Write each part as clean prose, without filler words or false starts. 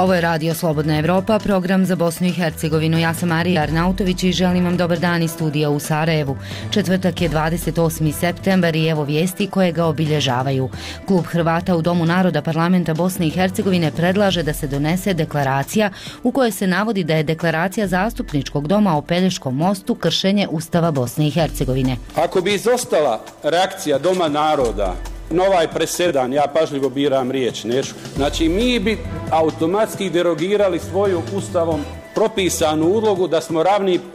Ovo je Radio Slobodna Evropa, program za Bosnu i Hercegovinu. Ja sam Marija Arnautović i želim vam dobar dan iz studija u Sarajevu. Četvrtak je 28. septembar i evo vijesti koje ga obilježavaju. Klub Hrvata u Domu naroda Parlamenta Bosne i Hercegovine predlaže da se donese deklaracija u kojoj se navodi da je deklaracija Zastupničkog doma o Pelješkom mostu kršenje Ustava Bosne i Hercegovine. Ako bi izostala reakcija Doma naroda na ovaj presedan, ja pažljivo biram riječ, neću. Znači, mi bi automatski derogirali svoju ustavom propisanu ulogu da smo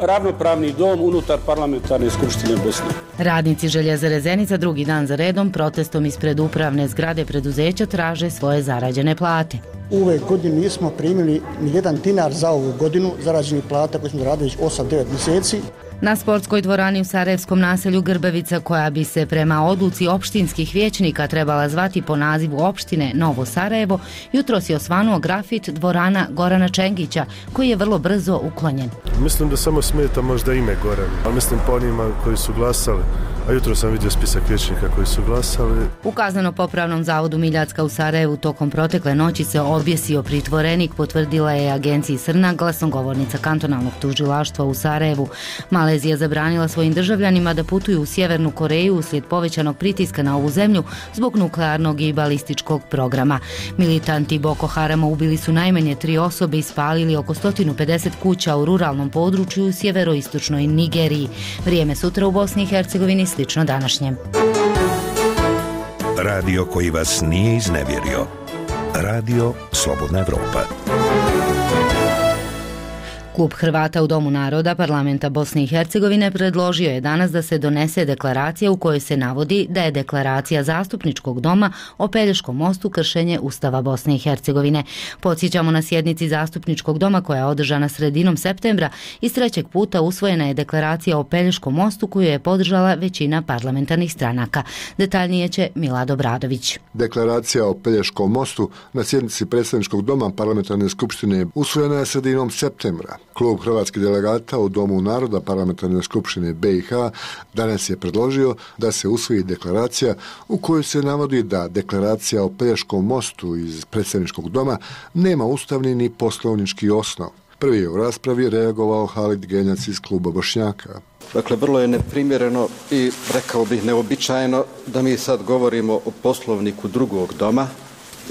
ravnopravni dom unutar parlamentarne skupštine Bosne. Radnici Željezare Zenica drugi dan za redom protestom ispred upravne zgrade preduzeća traže svoje zarađene plate. U ove godine nismo primili ni jedan dinar za ovu godinu zarađenih plata koje smo radili 8-9 mjeseci. Na sportskoj dvorani u sarajevskom naselju Grbavica, koja bi se prema odluci opštinskih vijećnika trebala zvati po nazivu opštine Novo Sarajevo, jutros je osvanuo grafit dvorana Gorana Čengića, koji je vrlo brzo uklonjen. Mislim da samo smeta možda ime Goran, ali mislim po onima koji su glasali, a jutro sam vidio spisak vijećnika koji su glasali. U kazneno-popravnom zavodu Miljacka u Sarajevu tokom protekle noći se objesio pritvorenik, potvrdila je agenciji Srna glasnogovornica kantonalnog tužilaštva u Sarajevu. Malezija zabranila svojim državljanima da putuju u Sjevernu Koreju uslijed povećanog pritiska na ovu zemlju zbog nuklearnog i balističkog programa. Militanti Boko Harama ubili su najmanje 3 osobe i spalili oko 150 kuća u ruralnom području u sjeveroistočnoj Nigeriji. Vrijeme sutra u Bosni i Hercegovini slično današnjem. Radio koji vas nije iznevjerio. Radio Slobodna Evropa. Klub Hrvata u Domu naroda Parlamenta Bosne i Hercegovine predložio je danas da se donese deklaracija u kojoj se navodi da je deklaracija Zastupničkog doma o Pelješkom mostu kršenje Ustava Bosne i Hercegovine. Podsjećamo, na sjednici Zastupničkog doma koja je održana sredinom septembra iz trećeg puta usvojena je deklaracija o Pelješkom mostu koju je podržala većina parlamentarnih stranaka. Detaljnije će Milado Bradović. Deklaracija o Pelješkom mostu na sjednici Predstavničkog doma Parlamentarne skupštine usvojena je sredinom septembra. Klub hrvatskih delegata u Domu naroda Parlamentarne skupštine BiH danas je predložio da se usvoji deklaracija u kojoj se navodi da deklaracija o Pelješkom mostu iz Predstavničkog doma nema ustavni ni poslovnički osnov. Prvi je u raspravi reagovao Halid Genjac iz kluba Bošnjaka. Dakle, vrlo je neprimjereno i, rekao bih, neobičajeno da mi sad govorimo o poslovniku drugog doma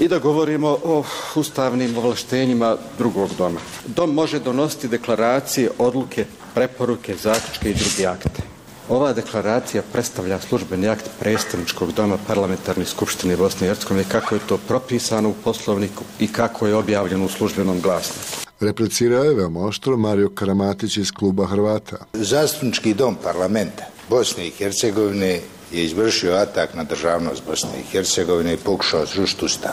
i da govorimo o ustavnim ovlaštenjima drugog doma. Dom može donositi deklaracije, odluke, preporuke, zaključke i druge akte. Ova deklaracija predstavlja službeni akt Predstavničkog doma Parlamentarne skupštine Bosne i Hercegovine kako je to propisano u poslovniku i kako je objavljeno u službenom glasniku. Replicirao je veoma oštro Mario Karamatić iz kluba Hrvata. Zastupnički dom parlamenta Bosne i Hercegovine je izvršio atak na državnost Bosne i Hercegovine i pokušao srušiti Ustav.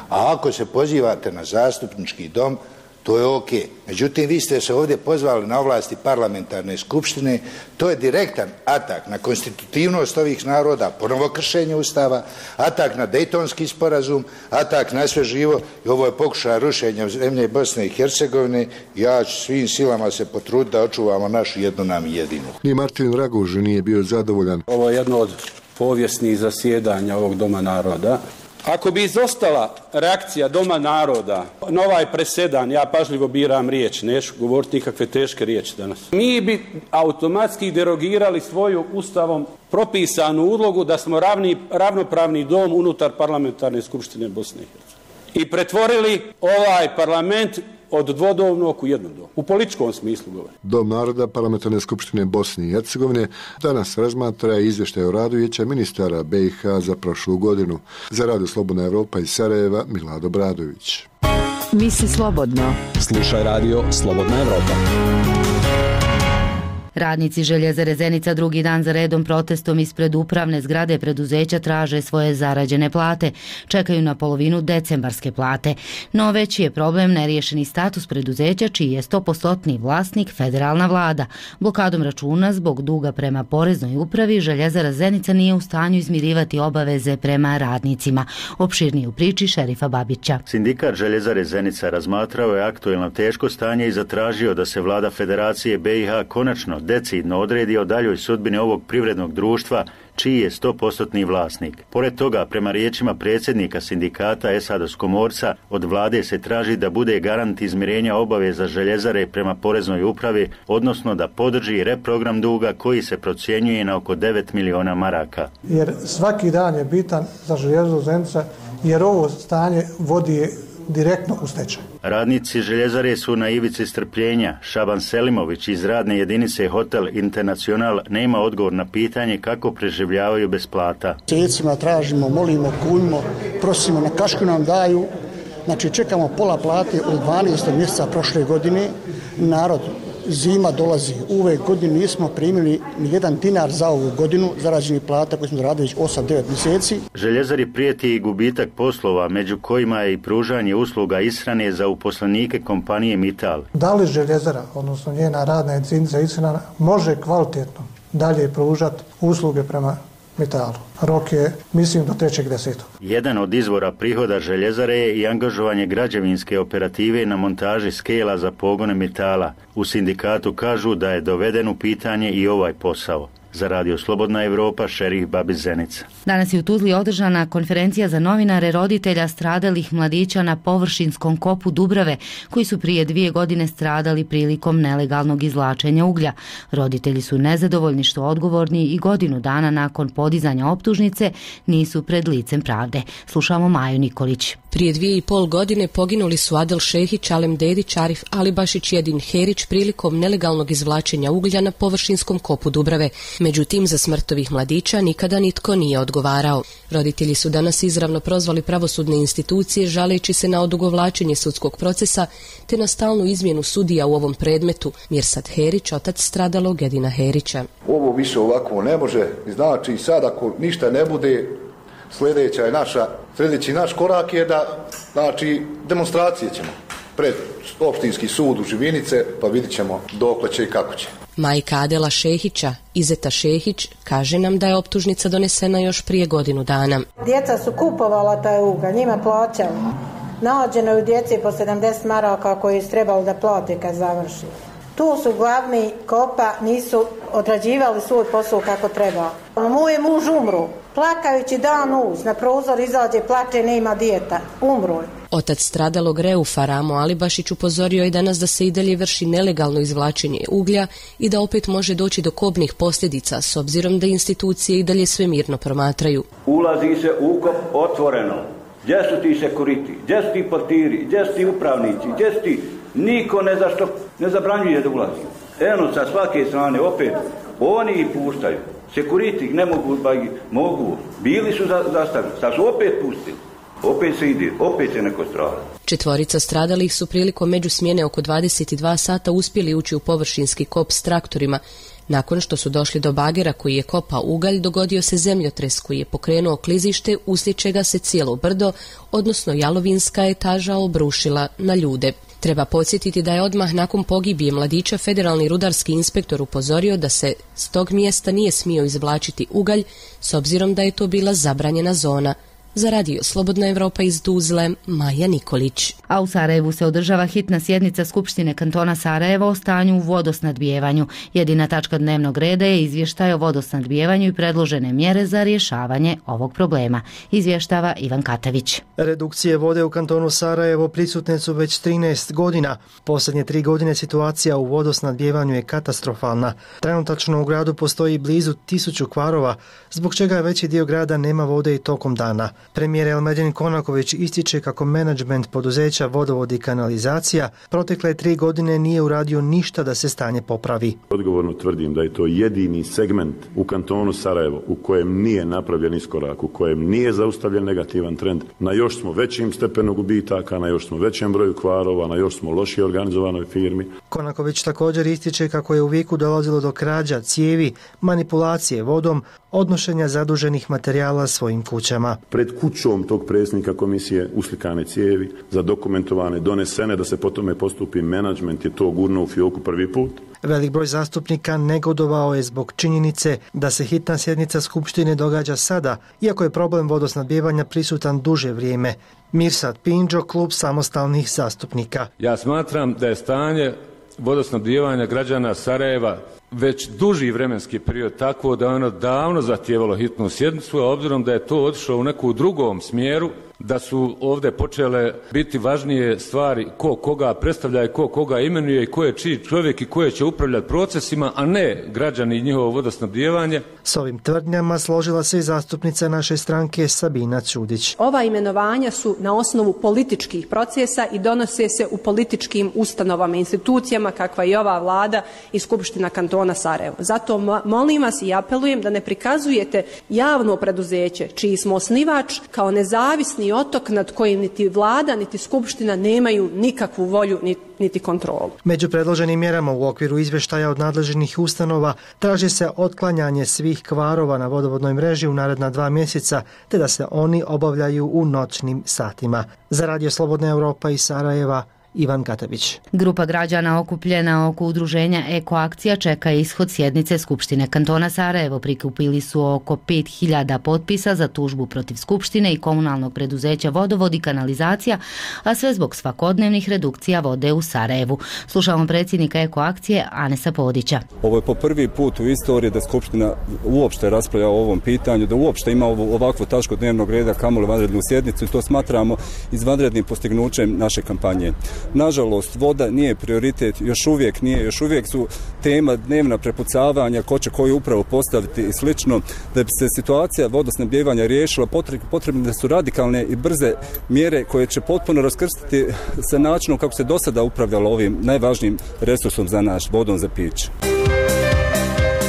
A ako se pozivate na zastupnički dom, to je ok. Međutim, vi ste se ovdje pozvali na ovlasti parlamentarne skupštine, to je direktan atak na konstitutivnost ovih naroda, ponovo kršenje Ustava, atak na Dejtonski sporazum, atak na sve živo i ovo je pokušaj rušenja zemlje Bosne i Hercegovine. Ja ću svim silama se potruditi da očuvamo našu jednu nam jedinu. Ni Martin Raguž nije bio zadovoljan. Ovo je jedno od povijesnih zasjedanja ovog Doma naroda. Ako bi izostala reakcija Doma naroda na ovaj presedan, ja pažljivo biram riječ, neću govoriti nikakve teške riječi danas. Mi bi automatski derogirali svoju ustavom propisanu ulogu da smo ravnopravni dom unutar parlamentarne skupštine Bosne i Hercegovine. I pretvorili ovaj parlament od dvodomnog u jednodom. U političkom smislu govorim. Dom naroda Parlamentarne skupštine Bosne i Hercegovine danas razmatra izvještaj o radu Vijeća ministara BiH za prošlu godinu. Za Radio Slobodna Evropa iz Sarajeva, Milado Bradović. Misli slobodno. Slušaj Radio Slobodna Evropa. Radnici Željezare Zenica drugi dan za redom protestom ispred upravne zgrade preduzeća traže svoje zarađene plate. Čekaju na polovinu decembarske plate. No veći je problem neriješeni status preduzeća čiji je 100% vlasnik federalna vlada. Blokadom računa zbog duga prema poreznoj upravi Željezara Zenica nije u stanju izmirivati obaveze prema radnicima. Opširnije u priči Šerifa Babića. Sindikat Željezare Zenica razmatrao je aktuelno teško stanje i zatražio da se vlada Federacije BiH konačno decidno odredi o daljoj sudbini ovog privrednog društva čiji je 100% vlasnik. Pored toga, prema riječima predsjednika sindikata Esados Komorca, od vlade se traži da bude garant izmirenja obaveza željezare prema poreznoj upravi, odnosno da podrži reprogram duga koji se procjenjuje na oko 9 miliona maraka. Jer svaki dan je bitan za Željezaru Zenica, jer ovo stanje vodi direktno u stečaj. Radnici željezare su na ivici strpljenja. Šaban Selimović iz radne jedinice Hotel Internacional nema odgovor na pitanje kako preživljavaju bez plata. Mjesecima tražimo, molimo, kunimo, prosimo, na kašku nam daju. Znači čekamo pola plate od 12. mjeseca prošle godine. Narod, zima dolazi. U ove godine nismo primili ni jedan dinar za ovu godinu zarađenih plata koje smo radili već 8-9 mjeseci. Željezari prijeti i gubitak poslova, među kojima je i pružanje usluga ishrane za uposlenike kompanije Mittal. Da li Željezara, odnosno njena radna jedinica ishrana, može kvalitetno dalje pružati usluge prema Mitalu? Rok je, mislim, do 3.10. Jedan od izvora prihoda željezare je i angažovanje građevinske operative na montaži skela za pogone Mitala. U sindikatu kažu da je doveden u pitanje i ovaj posao. Za Radio Slobodna Evropa, Šerif Babić Zenica. Danas je u Tuzli održana konferencija za novinare roditelja stradalih mladića na površinskom kopu Dubrave, koji su prije 2 godine stradali prilikom nelegalnog izvlačenja uglja. Roditelji su nezadovoljni što odgovorni i godinu dana nakon podizanja optužnice nisu pred licem pravde. Slušamo Maju Nikolić. Prije 2,5 godine poginuli su Adel Šehić, Alem Dedić, Arif Alibašić i Edin Herić prilikom nelegalnog izvlačenja uglja na površinskom kopu Dubrave. Međutim, za smrt ovih mladića nikada nitko nije odgovarao. Roditelji su danas izravno prozvali pravosudne institucije žaleći se na odugovlačenje sudskog procesa te na stalnu izmjenu sudija u ovom predmetu. Mirsad Herić, otac stradalog Edina Herića. Ovo više ovako ne može, znači sad ako ništa ne bude, sljedeći naš korak je da, znači, demonstracije ćemo pred opštinski sud u Živinice, pa vidit ćemo dokle će i kako će. Majka Adela Šehića, Izeta Šehić, kaže nam da je optužnica donesena još prije godinu dana. Djeca su kupovala taj ugalj, njima plaćali. Nađeno je u djeci po 70 maraka koji su trebali da plate kad završi. Tu su glavni kopa, nisu odrađivali svoj posao kako treba. Moj je muž umru, plakajući dan uz, na prozor izađe, plače, nema dijeta, umru je. Otac stradalog Reufa Ramo Alibašić upozorio je danas da se i dalje vrši nelegalno izvlačenje uglja i da opet može doći do kobnih posljedica s obzirom da institucije i dalje sve mirno promatraju. Ulazi se u ukop otvoreno. Gdje su ti sekuriti, gdje su ti portiri, gdje su ti upravnici, gdje su ti... Niko ne zabranjuje da ulazi. Eno sa svake strane opet oni ih puštaju. Sekuriti ne mogu, pa mogu. Bili su zastavili, sad su opet pustili. Opet se ide, opet se neko strada. 4 stradalih su prilikom međusmjene oko 22 sata uspjeli ući u površinski kop s traktorima. Nakon što su došli do bagera koji je kopao ugalj, dogodio se zemljotres koji je pokrenuo klizište, uslijed čega se cijelo brdo, odnosno jalovinska etaža, obrušila na ljude. Treba podsjetiti da je odmah nakon pogibije mladića federalni rudarski inspektor upozorio da se s tog mjesta nije smio izvlačiti ugalj, s obzirom da je to bila zabranjena zona. Za Radio Slobodna Evropa iz Tuzle, Maja Nikolić. A u Sarajevu se održava hitna sjednica Skupštine kantona Sarajeva o stanju u vodosnadbijevanju. Jedina tačka dnevnog reda je izvještaj o vodosnadbijevanju i predložene mjere za rješavanje ovog problema. Izvještava Ivan Katavić. Redukcije vode u kantonu Sarajevo prisutne su već 13 godina. Posljednje 3 godine situacija u vodosnadbijevanju je katastrofalna. Trenutačno u gradu postoji blizu 1000 kvarova, zbog čega veći dio grada nema vode i tokom dana. Premijer Elmedin Konaković ističe kako menadžment poduzeća Vodovod i kanalizacija protekle 3 godine nije uradio ništa da se stanje popravi. Odgovorno tvrdim da je to jedini segment u kantonu Sarajevo u kojem nije napravljen iskorak, u kojem nije zaustavljen negativan trend. Na još smo većim stepenu gubitaka, na još smo većem broju kvarova, na još smo lošije organizovanoj firmi. Konaković također ističe kako je u Viku dolazilo do krađa cijevi, manipulacije vodom, odnošenja zaduženih materijala svojim kućama. Pred kućom tog predsjednika komisije uslikane cijevi, zadokumentovane, donesene da se po tome postupi, menadžment je to gurnuo u fioku prvi put. Velik broj zastupnika negodovao je zbog činjenice da se hitna sjednica Skupštine događa sada, iako je problem vodosnadbijevanja prisutan duže vrijeme. Mirsad Pinđo, klub samostalnih zastupnika. Ja smatram da je stanje vodosnabdijevanja građana Sarajeva već duži vremenski period, tako da je ono davno zahtijevalo hitnu sjednicu, a obzirom da je to otišlo u neku drugom smjeru, da su ovdje počele biti važnije stvari ko koga predstavlja i ko koga imenuje i ko je čiji čovjek i ko će upravljati procesima, a ne građani i njihovo vodosnabdijevanje. S ovim tvrdnjama složila se i zastupnica naše stranke Sabina Čudić. Ova imenovanja su na osnovu političkih procesa i donose se u političkim ustanovama i institucijama kakva je ova vlada i Skupština kantona Sarajevo. Zato molim vas i apelujem da ne prikazujete javno preduzeće čiji smo osnivač kao nezavisni otok nad kojim niti vlada niti skupština nemaju nikakvu volju niti kontrolu. Među predloženim mjerama u okviru izvještaja od nadležnih ustanova traži se otklanjanje svih kvarova na vodovodnoj mreži u naredna 2 mjeseca, te da se oni obavljaju u noćnim satima. Za Radio Slobodna Europa iz Sarajeva, Ivan Katabić. Grupa građana okupljena oko udruženja Eko akcija čeka ishod sjednice Skupštine kantona Sarajevo. Prikupili su oko 5000 potpisa za tužbu protiv Skupštine i komunalnog preduzeća Vodovod i kanalizacija, a sve zbog svakodnevnih redukcija vode u Sarajevu. Slušamo predsjednika Eko akcije Anesa Podića. Ovo je po prvi put u istoriji da Skupština uopšte raspravlja o ovom pitanju, da uopšte ima ovakvu tačku dnevnog reda, kamoli vanrednu sjednicu, i to smatramo izvanrednim postignućem naše kampanje. Nažalost, voda nije prioritet, još uvijek su tema dnevna prepucavanja, ko će koju upravo postaviti i slično. Da bi se situacija vodosnabdijevanja riješila, potrebne su radikalne i brze mjere koje će potpuno raskrstiti sa načinom kako se do sada upravljalo ovim najvažnijim resursom za naš, vodom za piće.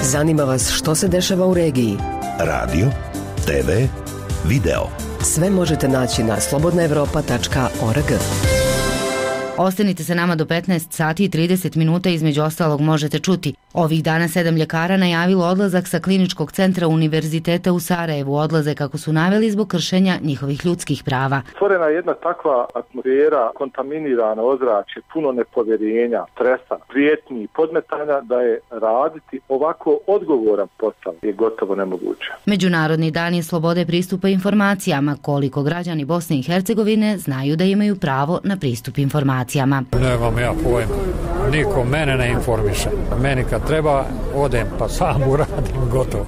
Zanima vas što se dešava u regiji? Radio, TV, video. Sve možete naći na slobodnaevropa.org. Ostanite se nama do 15 sati i 30 minuta, između ostalog možete čuti. Ovih dana 7 ljekara najavilo odlazak sa kliničkog centra Univerziteta u Sarajevu. Odlaze, kako su naveli, zbog kršenja njihovih ljudskih prava. Stvorena je jedna takva atmosfera, kontaminirana ozračje, puno nepovjerenja, stresa, prijetnji i podmetanja da je raditi ovako odgovoran posao je gotovo nemoguće. Međunarodni dan je slobode pristupa informacijama. Koliko građani Bosne i Hercegovine znaju da imaju pravo na pristup informacijama? Nemam ja pojma. Niko mene ne informiše. Meni kad treba, odem pa sam uradim, gotovo.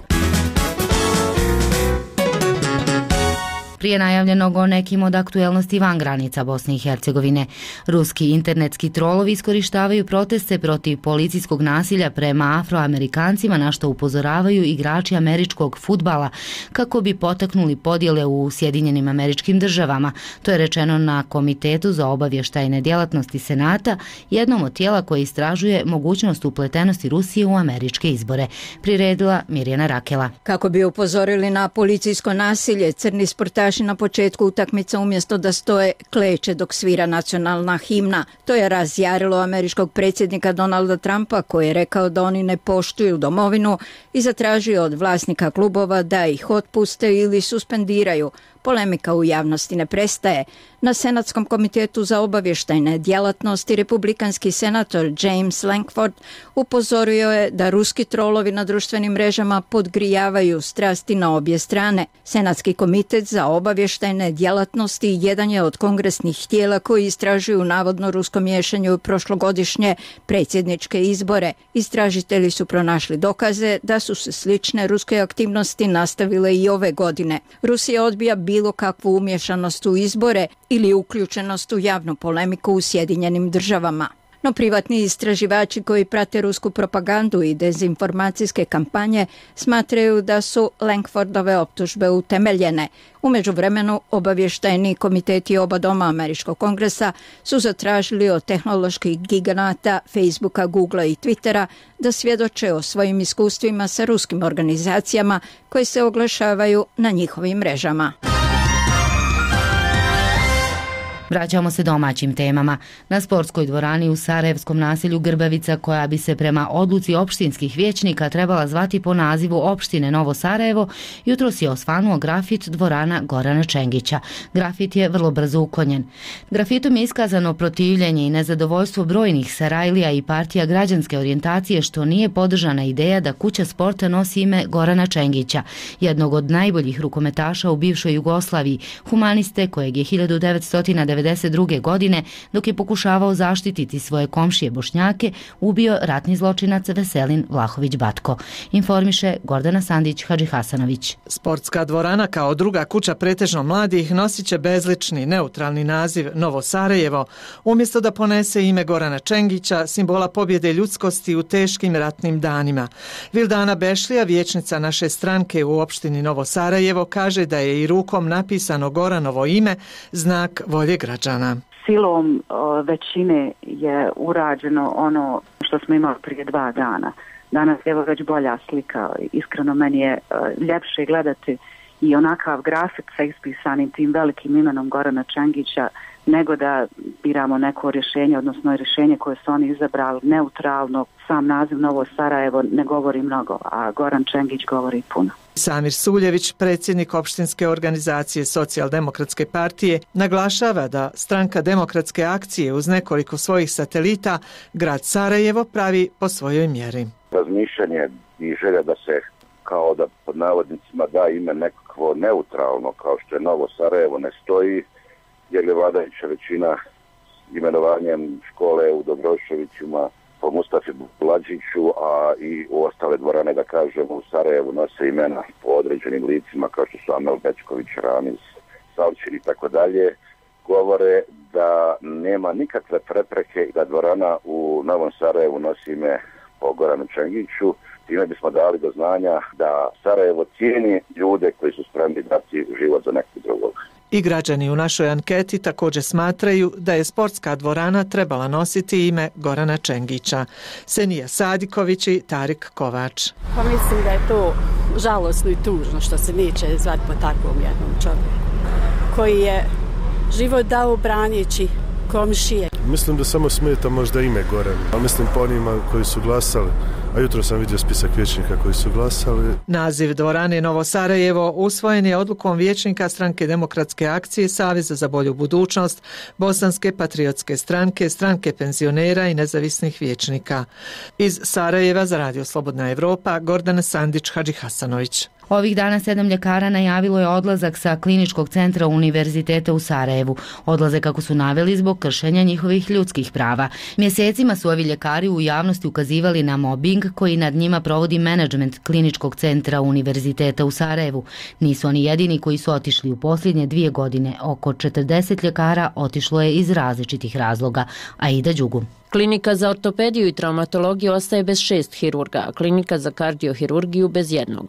Prije najavljenog o nekim od aktuelnosti van granica Bosne i Hercegovine. Ruski internetski trolovi iskorištavaju proteste protiv policijskog nasilja prema Afroamerikancima, na što upozoravaju igrači američkog fudbala, kako bi potaknuli podjele u Sjedinjenim Američkim Državama. To je rečeno na Komitetu za obavještajne djelatnosti Senata, jednom od tijela koje istražuje mogućnost upletenosti Rusije u američke izbore. Priredila Mirjana Rakela. Kako bi upozorili na policijsko nasilje, crni sportaši na početku utakmica umjesto da stoje kleče dok svira nacionalna himna. To je razjarilo američkog predsjednika Donalda Trumpa, koji je rekao da oni ne poštuju domovinu i zatražio od vlasnika klubova da ih otpuste ili suspendiraju. Polemika u javnosti ne prestaje. Na Senatskom komitetu za obavještajne djelatnosti republikanski senator James Lankford upozorio je da ruski trolovi na društvenim mrežama podgrijavaju strasti na obje strane. Senatski komitet za obavještajne djelatnosti jedan je od kongresnih tijela koji istražuju navodno rusko miješanje u prošlogodišnje predsjedničke izbore. Istražitelji su pronašli dokaze da su se slične ruske aktivnosti nastavile i ove godine. Rusija odbija bilo kakvu umješanost u izbore ili uključenost u javnu polemiku u Sjedinjenim Državama. No privatni istraživači koji prate rusku propagandu i dezinformacijske kampanje smatraju da su Lankfordove optužbe utemeljene. U međuvremenu obavještajni komiteti oba doma američkog kongresa su zatražili od tehnoloških giganata Facebooka, Googlea i Twittera da svjedoče o svojim iskustvima sa ruskim organizacijama koje se oglašavaju na njihovim mrežama. Vraćamo se domaćim temama. Na sportskoj dvorani u sarajevskom naselju Grbavica, koja bi se prema odluci opštinskih vijećnika trebala zvati po nazivu opštine Novo Sarajevo, jutros je osvanuo grafit dvorana Gorana Čengića. Grafit je vrlo brzo uklonjen. Grafitom je iskazano protivljenje i nezadovoljstvo brojnih Sarajlija i partija građanske orijentacije što nije podržana ideja da kuća sporta nosi ime Gorana Čengića, jednog od najboljih rukometaša u bivšoj Jugoslaviji, humaniste kojeg je 1990 1992. godine, dok je pokušavao zaštititi svoje komšije Bošnjake, ubio ratni zločinac Veselin Vlahović Batko. Informiše Gordana Sandić Hadžihasanović. Sportska dvorana kao druga kuća pretežno mladih nosit će bezlični, neutralni naziv Novo Sarajevo, umjesto da ponese ime Gorana Čengića, simbola pobjede ljudskosti u teškim ratnim danima. Vildana Bešlija, vijećnica naše stranke u opštini Novo Sarajevo, kaže da je i rukom napisano Goranovo ime znak volje građana. Silom većine je urađeno ono što smo imali prije 2 dana. Danas je evo već bolja slika. Iskreno meni je ljepše gledati i onakav grafik sa ispisanim tim velikim imenom Gorana Čengića nego da biramo neko rješenje, odnosno rješenje koje su oni izabrali neutralno. Sam naziv Novo Sarajevo ne govori mnogo, a Goran Čengić govori puno. Samir Suljević, predsjednik opštinske organizacije Socijaldemokratske partije, naglašava da stranka Demokratske akcije uz nekoliko svojih satelita grad Sarajevo pravi po svojoj mjeri. Razmišljanje i želja da se kao da pod navodnicima da ime nekakvo neutralno kao što je Novo Sarajevo ne stoji, jer je vladajuća većina imenovanjem škole u Dobroševićima po Mustafi Bulađiću, a i u ostale dvorane, da kažem, u Sarajevu nose imena po određenim licima kao što su Amel Bečković, Ramiz, Savčin i tako dalje, govore da nema nikakve prepreke da dvorana u Novom Sarajevu nosi ime po Goranu Čengiću. Time bismo dali do znanja da Sarajevo cijeni ljude koji su spremni dati život za nekog drugog. I građani u našoj anketi također smatraju da je sportska dvorana trebala nositi ime Gorana Čengića. Senija Sadiković i Tarik Kovač. Pa mislim da je to žalosno i tužno što se neće zvati po takvom jednom čovjeku koji je život dao branijeći komšije. Mislim da samo smeta možda ime Goran, ali mislim po onima koji su glasali, a jutro sam vidio spisak vijećnika koji su glasali. Naziv dvorane Novo Sarajevo usvojen je odlukom vijećnika stranke Demokratske akcije, Saveza za bolju budućnost, Bosanske patriotske stranke, stranke penzionera i nezavisnih vijećnika. Iz Sarajeva za Radio Slobodna Evropa, Gordana Sandić Hadžihasanović. Ovih dana 7 ljekara najavilo je odlazak sa kliničkog centra Univerziteta u Sarajevu. Odlaze kako su naveli zbog kršenja njihovih ljudskih prava. Mjesecima su ovi ljekari u javnosti ukazivali na mobbing koji nad njima provodi menadžment kliničkog centra Univerziteta u Sarajevu. Nisu oni jedini koji su otišli u posljednje 2 godine. Oko 40 ljekara otišlo je iz različitih razloga. Aida Đugu. Klinika za ortopediju i traumatologiju ostaje bez 6 hirurga, a klinika za kardiohirurgiju bez 1.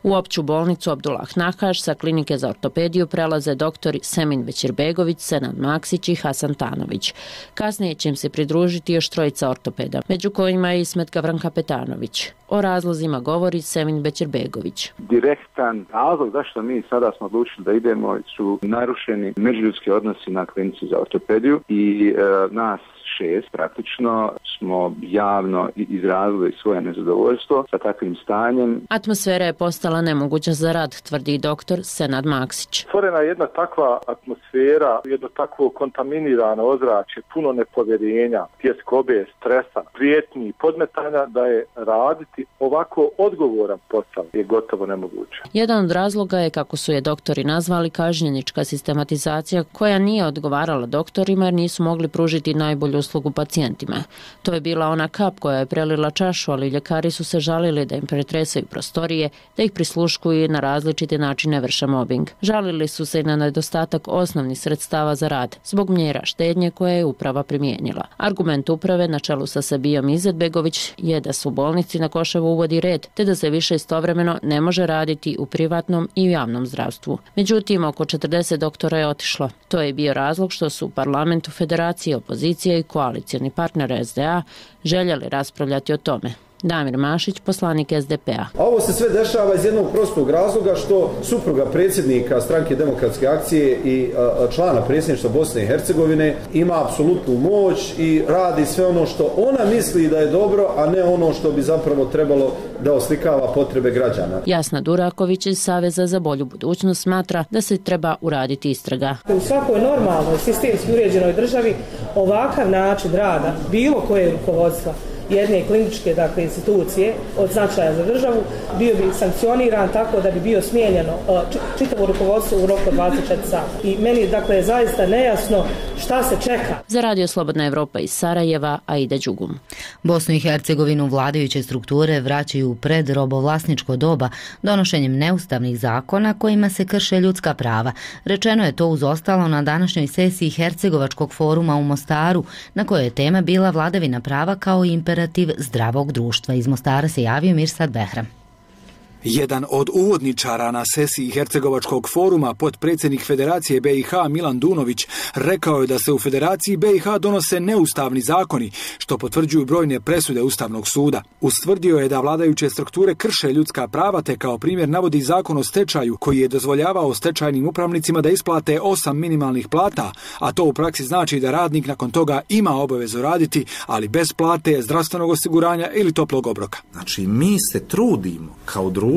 U opću bolnicu Abdullah Nahaš sa klinike za ortopediju prelaze doktori Semin Bećirbegović, Senad Maksić i Hasan Tanović. Kasnije će im se pridružiti još 3 ortopeda, među kojima je i Ismet Gavran-Kapetanović. O razlozima govori Semin Bećirbegović. Direktan razlog zašto mi sada smo odlučili da idemo su narušeni međuljudski odnosi na klinici za ortopediju i nas 6 praktično smo javno izrazili svoje nezadovoljstvo sa takvim stanjem. Atmosfera je postala nemoguća za rad, tvrdi doktor Senad Maksić. Stvorena je jedna takva atmosfera, jedno takvo kontaminirano ozračje, puno nepovjerenja, tjeskobe, stresa, prijetnji, podmetanja da je raditi ovako odgovoran posao je gotovo nemoguće. Jedan od razloga je, kako su je doktori nazvali, kažnjenička sistematizacija koja nije odgovarala doktorima jer nisu mogli pružiti najbolju uslugu pacijentima. To je bila ona kap koja je prelila čašu, ali ljekari su se žalili da im pretresaju prostorije, da ih prisluškuju i na različite načine vrše mobbing. Žalili su se i na nedostatak osnovnih sredstava za rad, zbog mjera štednje koje je uprava primijenila. Argument uprave na čelu sa Sabijom Izetbegović je da se u bolnici na Koševu uvodi red, te da se više istovremeno ne može raditi u privatnom i javnom zdravstvu. Međutim, oko 40 doktora je otišlo. To je bio razlog što su u parlamentu Federacije, opozicije i koalicijni partner SDA željeli raspravljati o tome. Damir Mašić, poslanik SDP-a. A ovo se sve dešava iz jednog prostog razloga što supruga predsjednika stranke Demokratske akcije i člana predsjedništva Bosne i Hercegovine ima apsolutnu moć i radi sve ono što ona misli da je dobro, a ne ono što bi zapravo trebalo da oslikava potrebe građana. Jasna Duraković iz Saveza za bolju budućnost smatra da se treba uraditi istraga. U svakoj normalnoj sistemski uređenoj državi ovakav način rada bilo koje rukovodstva jedne kliničke institucije od značaja za državu, bio bi sankcioniran tako da bi bio smijenjeno čitavo rukovodstvo u roku 24 sata. I meni je zaista nejasno šta se čeka. Za Radio Slobodna Evropa iz Sarajeva, Aida Đugum. Bosnu i Hercegovinu vladajuće strukture vraćaju pred robovlasničko doba donošenjem neustavnih zakona kojima se krše ljudska prava. Rečeno je to uz ostalo na današnjoj sesiji Hercegovačkog foruma u Mostaru, na kojoj je tema bila vladavina prava kao imperativ zdravog društva. Iz Mostara se javio Mirsad Behram. Jedan od uvodničara na sesiji Hercegovačkog foruma, potpredsjednik Federacije BiH Milan Dunović, rekao je da se u Federaciji BiH donose neustavni zakoni, što potvrđuju brojne presude Ustavnog suda. Ustvrdio je da vladajuće strukture krše ljudska prava, te kao primjer navodi zakon o stečaju, koji je dozvoljavao stečajnim upravnicima da isplate 8 minimalnih plata, a to u praksi znači da radnik nakon toga ima obavezu raditi, ali bez plate, zdravstvenog osiguranja ili toplog obroka. Znači, mi se trudimo kao društvo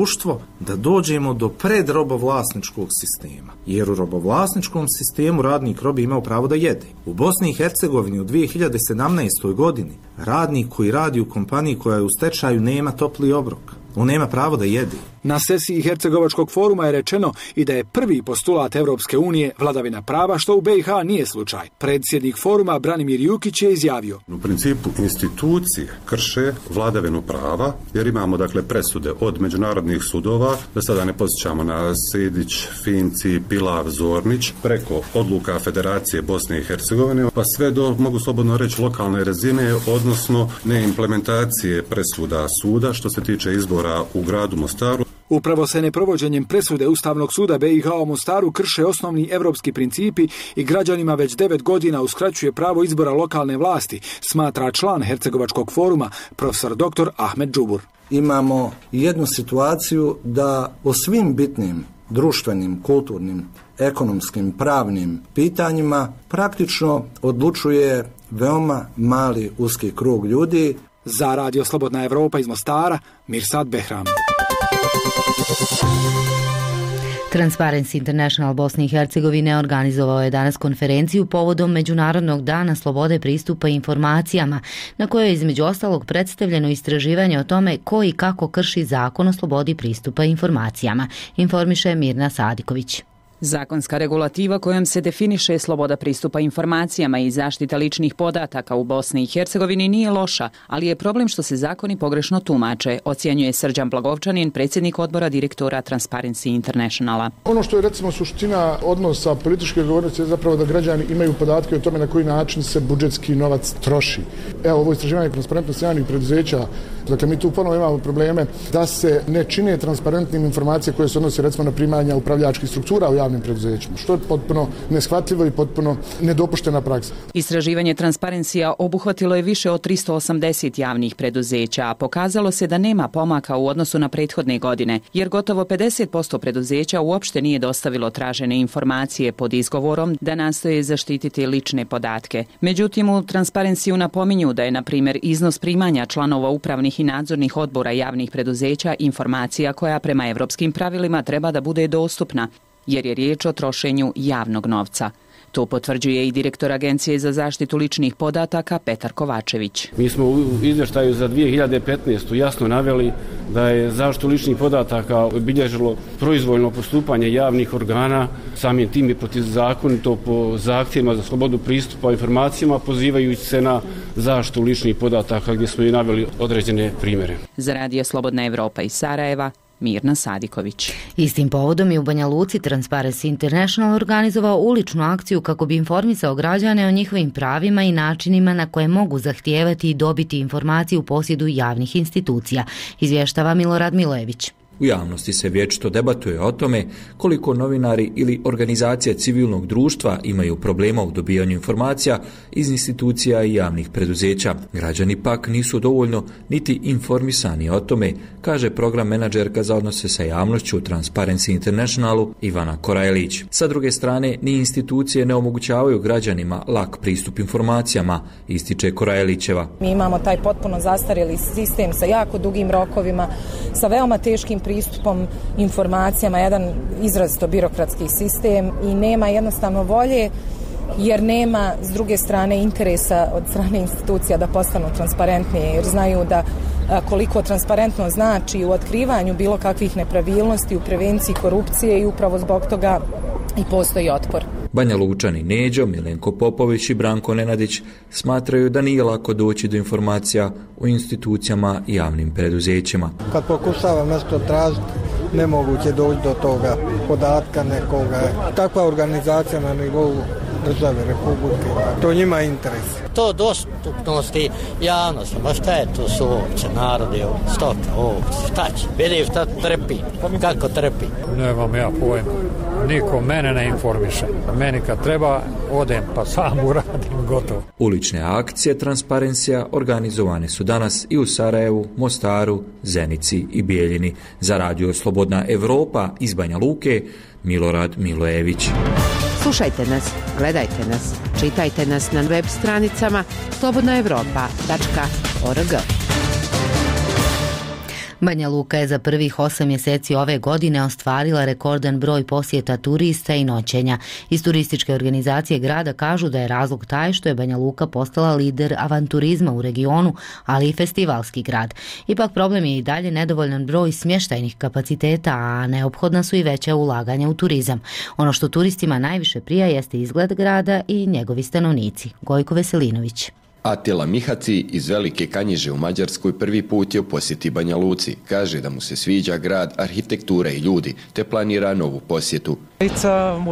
da dođemo do predrobovlasničkog sistema. Jer u robovlasničkom sistemu radnik robi imao pravo da jede. U Bosni i Hercegovini u 2017. godini radnik koji radi u kompaniji koja je u stečaju nema topli obrok. On nema pravo da jede. Na sesiji Hercegovačkog foruma je rečeno i da je prvi postulat Evropske unije vladavina prava, što u BiH nije slučaj. Predsjednik foruma Branimir Jukić je izjavio: U principu institucije krše vladavinu prava, jer imamo presude od međunarodnih sudova, da sada ne podsjećamo na Sedić, Finci, Pilav, Zornić, preko odluka Federacije Bosne i Hercegovine, pa sve do, mogu slobodno reći, lokalne razine, odnosno neimplementacije presuda suda što se tiče izbora u gradu Mostaru. Upravo se neprovođenjem presude Ustavnog suda BiH u Mostaru krše osnovni evropski principi i građanima već 9 godina uskraćuje pravo izbora lokalne vlasti, smatra član Hercegovačkog foruma, profesor dr. Ahmed Džubur. Imamo jednu situaciju da o svim bitnim društvenim, kulturnim, ekonomskim, pravnim pitanjima praktično odlučuje veoma mali uski krug ljudi. Za Radio Slobodna Evropa iz Mostara, Mirsad Behram. Transparency International Bosne i Hercegovine organizovao je danas konferenciju povodom Međunarodnog dana slobode pristupa informacijama, na kojoj je između ostalog predstavljeno istraživanje o tome ko i kako krši zakon o slobodi pristupa informacijama, informiše Mirna Sadiković. Zakonska regulativa kojom se definiše sloboda pristupa informacijama i zaštita ličnih podataka u Bosni i Hercegovini nije loša, ali je problem što se zakoni pogrešno tumače, ocjenjuje Srđan Blagovčanin, predsjednik odbora direktora Transparency Internationala. Ono što je recimo suština odnosa političke odgovornosti je zapravo da građani imaju podatke o tome na koji način se budžetski novac troši. Evo, ovo istraživanje transparentnosti javnih preduzeća, dakle mi tu ponovo imamo probleme da se ne čine transparentnim informacije koje se odnose recimo na primanja upravljačkih struktura u javnim preduzećima, što je potpuno neshvatljivo i potpuno nedopuštena praksa. Istraživanje Transparencija obuhvatilo je više od 380 javnih preduzeća, a pokazalo se da nema pomaka u odnosu na prethodne godine, jer gotovo 50% preduzeća uopšte nije dostavilo tražene informacije pod izgovorom da nastoje zaštititi lične podatke. Međutim, u Transparenciju napominju da je, na primjer, iznos primanja članova upravnih i nadzornih odbora javnih preduzeća informacija koja prema evropskim pravilima treba da bude dostupna, jer je riječ o trošenju javnog novca. To potvrđuje i direktor Agencije za zaštitu ličnih podataka Petar Kovačević. Mi smo u izvještaju za 2015. jasno naveli da je zaštitu ličnih podataka obilježilo proizvoljno postupanje javnih organa, samim tim i protivzakonito po zahtjevima za slobodu pristupa informacijama, pozivajući se na zaštitu ličnih podataka gdje smo i naveli određene primjere. Za Radio Slobodna Evropa iz Sarajeva, Mirna Sadiković. Istim povodom je u Banja Luci Transparency International organizovao uličnu akciju kako bi informisao građane o njihovim pravima i načinima na koje mogu zahtijevati i dobiti informacije u posjedu javnih institucija, izvještava Milorad Milojević. U javnosti se vječito debatuje o tome koliko novinari ili organizacije civilnog društva imaju problema u dobijanju informacija iz institucija i javnih preduzeća. Građani pak nisu dovoljno niti informisani o tome, kaže program menadžerka za odnose sa javnošću u Transparency Internationalu Ivana Korajlić. Sa druge strane, ni institucije ne omogućavaju građanima lak pristup informacijama, ističe Korajlićeva. Mi imamo taj potpuno zastarjeli sistem sa jako dugim rokovima, sa veoma teškim pristupom informacijama, jedan izrazito birokratski sistem i nema jednostavno volje jer nema s druge strane interesa od strane institucija da postanu transparentnije, jer znaju da koliko transparentno znači u otkrivanju bilo kakvih nepravilnosti, u prevenciji korupcije i upravo zbog toga i postoji otpor. Banja Lučani Neđo, Milenko Popović i Branko Nenadić smatraju da nije lako doći do informacija o institucijama i javnim preduzećima. Kad pokušavam nešto tražiti, nemoguće doći do toga podatka nekoga. Takva organizacija na nivou države, republike, to njima je interes. To dostupnosti javnosti, ma šta je to su ovce, narodi, stoka, ovce, šta će? Vidim šta trpi, kako trpi. Nemam ja pojma, niko mene ne informiše. Meni kad treba, odem pa sam uradim, gotovo. Ulične akcije transparencija organizovane su danas i u Sarajevu, Mostaru, Zenici i Bijeljini. Za radio Slobodna Evropa iz Banja Luke, Milorad Milojević. Slušajte nas, gledajte nas, čitajte nas na web stranicama slobodnaevropa.org. Banja Luka je za prvih 8 mjeseci ove godine ostvarila rekordan broj posjeta turista i noćenja. Iz turističke organizacije grada kažu da je razlog taj što je Banja Luka postala lider avanturizma u regionu, ali i festivalski grad. Ipak problem je i dalje nedovoljan broj smještajnih kapaciteta, a neophodna su i veća ulaganja u turizam. Ono što turistima najviše prija jeste izgled grada i njegovi stanovnici. Gojko Veselinović. Atila Mihaci iz Velike Kanjiže u Mađarskoj prvi put je u posjeti Banja Luci. Kaže da mu se sviđa grad, arhitektura i ljudi, te planira novu posjetu.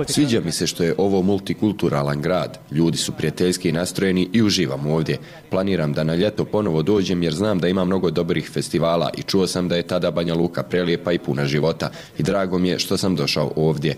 Sviđa mi se što je ovo multikulturalan grad. Ljudi su prijateljski nastrojeni i uživam ovdje. Planiram da na ljeto ponovo dođem jer znam da ima mnogo dobrih festivala i čuo sam da je tada Banja Luka prelijepa i puna života. I drago mi je što sam došao ovdje.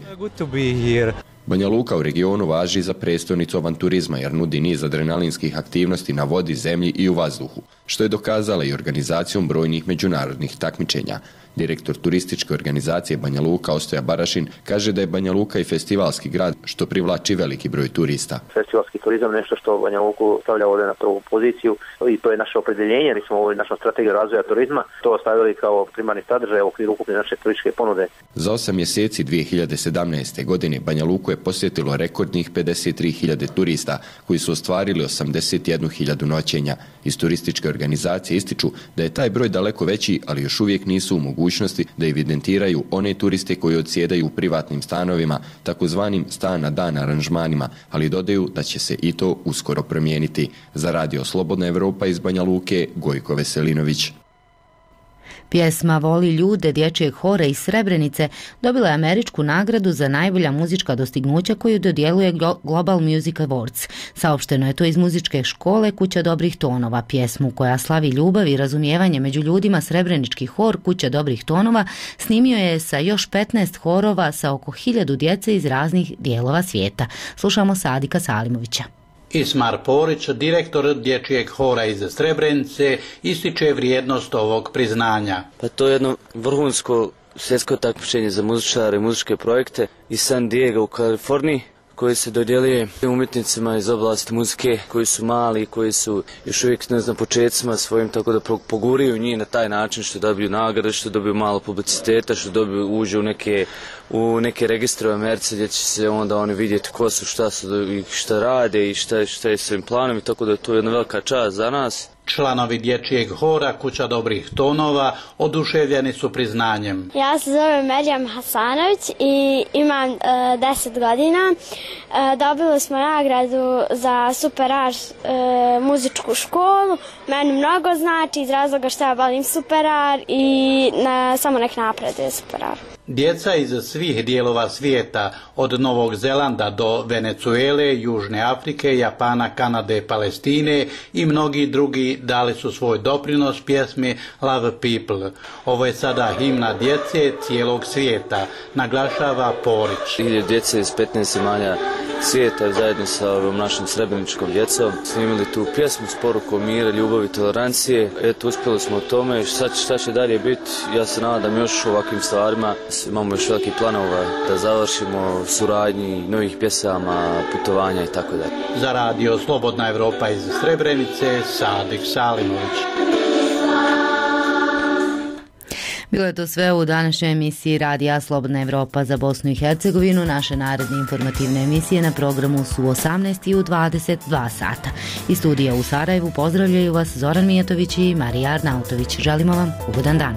Banja Luka u regionu važi za prestolnicu avanturizma jer nudi niz adrenalinskih aktivnosti na vodi, zemlji i u vazduhu, što je dokazala i organizacijom brojnih međunarodnih takmičenja. Direktor turističke organizacije Banja Luka Ostoja Barašin kaže da je Banja Luka i festivalski grad što privlači veliki broj turista. Festivalski turizam nešto što Banja Luku stavlja ovdje na prvu poziciju i to je naše opredjeljenje, mi smo ovdje naša strategija razvoja turizma to stavili kao primarni sadržaj u okviru ukupne naše turističke ponude. Za 8 mjeseci 2017. godine Banja Luku je posjetilo rekordnih 53.000 turista koji su ostvarili 81.000 noćenja. Iz turističke organizacije ističu da je taj broj daleko veći, ali još uvijek nisu u mogućnosti da evidentiraju one turiste koji odsjedaju u privatnim stanovima, takozvanim stan na dan aranžmanima, ali dodaju da će se i to uskoro promijeniti. Za radio Slobodna Evropa iz Banja Luke, Gojko Veselinović. Pjesma Voli ljude dječjeg hora iz Srebrenice dobila je američku nagradu za najbolja muzička dostignuća koju dodjeluje Global Music Awards. Saopšteno je to iz muzičke škole Kuća dobrih tonova. Pjesmu koja slavi ljubav i razumijevanje među ljudima Srebrenički hor Kuća dobrih tonova snimio je sa još 15 horova sa oko 1000 djece iz raznih dijelova svijeta. Slušamo Sadika Salimovića. Ismar Porić, direktor dječjeg hora iz Srebrenice, ističe vrijednost ovog priznanja. Pa to je jedno vrhunsko svjetsko takmičenje za muzičare i muzičke projekte iz San Diego u Kaliforniji, koji se dodjeljuje umjetnicima iz oblasti muzike koji su mali, koji su još uvijek na početcima svojim, tako da poguriju njih na taj način što dobiju nagrade, što dobiju malo publiciteta, što dobiju uđe u neke registre u Americi gdje će se onda oni vidjeti ko su, šta su i šta rade i šta je svojim planom i tako da je to jedna velika čast za nas. Članovi dječjeg hora Kuća dobrih tonova oduševljeni su priznanjem. Ja se zovem Merjam Hasanović i imam 10 godina. Dobili smo nagradu za Super Art muzičku školu. Meni mnogo znači iz razloga što ja volim Super Art i samo nek napreduje Super Art. Djeca iz svih dijelova svijeta, od Novog Zelanda do Venezuele, Južne Afrike, Japana, Kanade, Palestine i mnogi drugi dali su svoj doprinos pjesmi Love People. Ovo je sada himna djece cijelog svijeta, naglašava Porić. 1000 djece iz 15 zemalja svijeta zajedno sa ovom našim srebreničkom djecom snimili tu pjesmu s porukom mira, ljubavi i tolerancije. Eto, uspjeli smo u tome. Šta će dalje biti? Ja se nadam još ovakvim stvarima. Imamo još veliki planova da završimo suradnji novih pjesama, putovanja i tako dalje. Za radio Slobodna Evropa iz Srebrenice, Sadik Salimović. Bilo je to sve u današnjoj emisiji Radija Slobodna Evropa za Bosnu i Hercegovinu. Naše naredne informativne emisije na programu su 18 i u 22 sata. Iz studija u Sarajevu pozdravljaju vas Zoran Mijatović i Marija Arnautović. Želimo vam ugodan dan.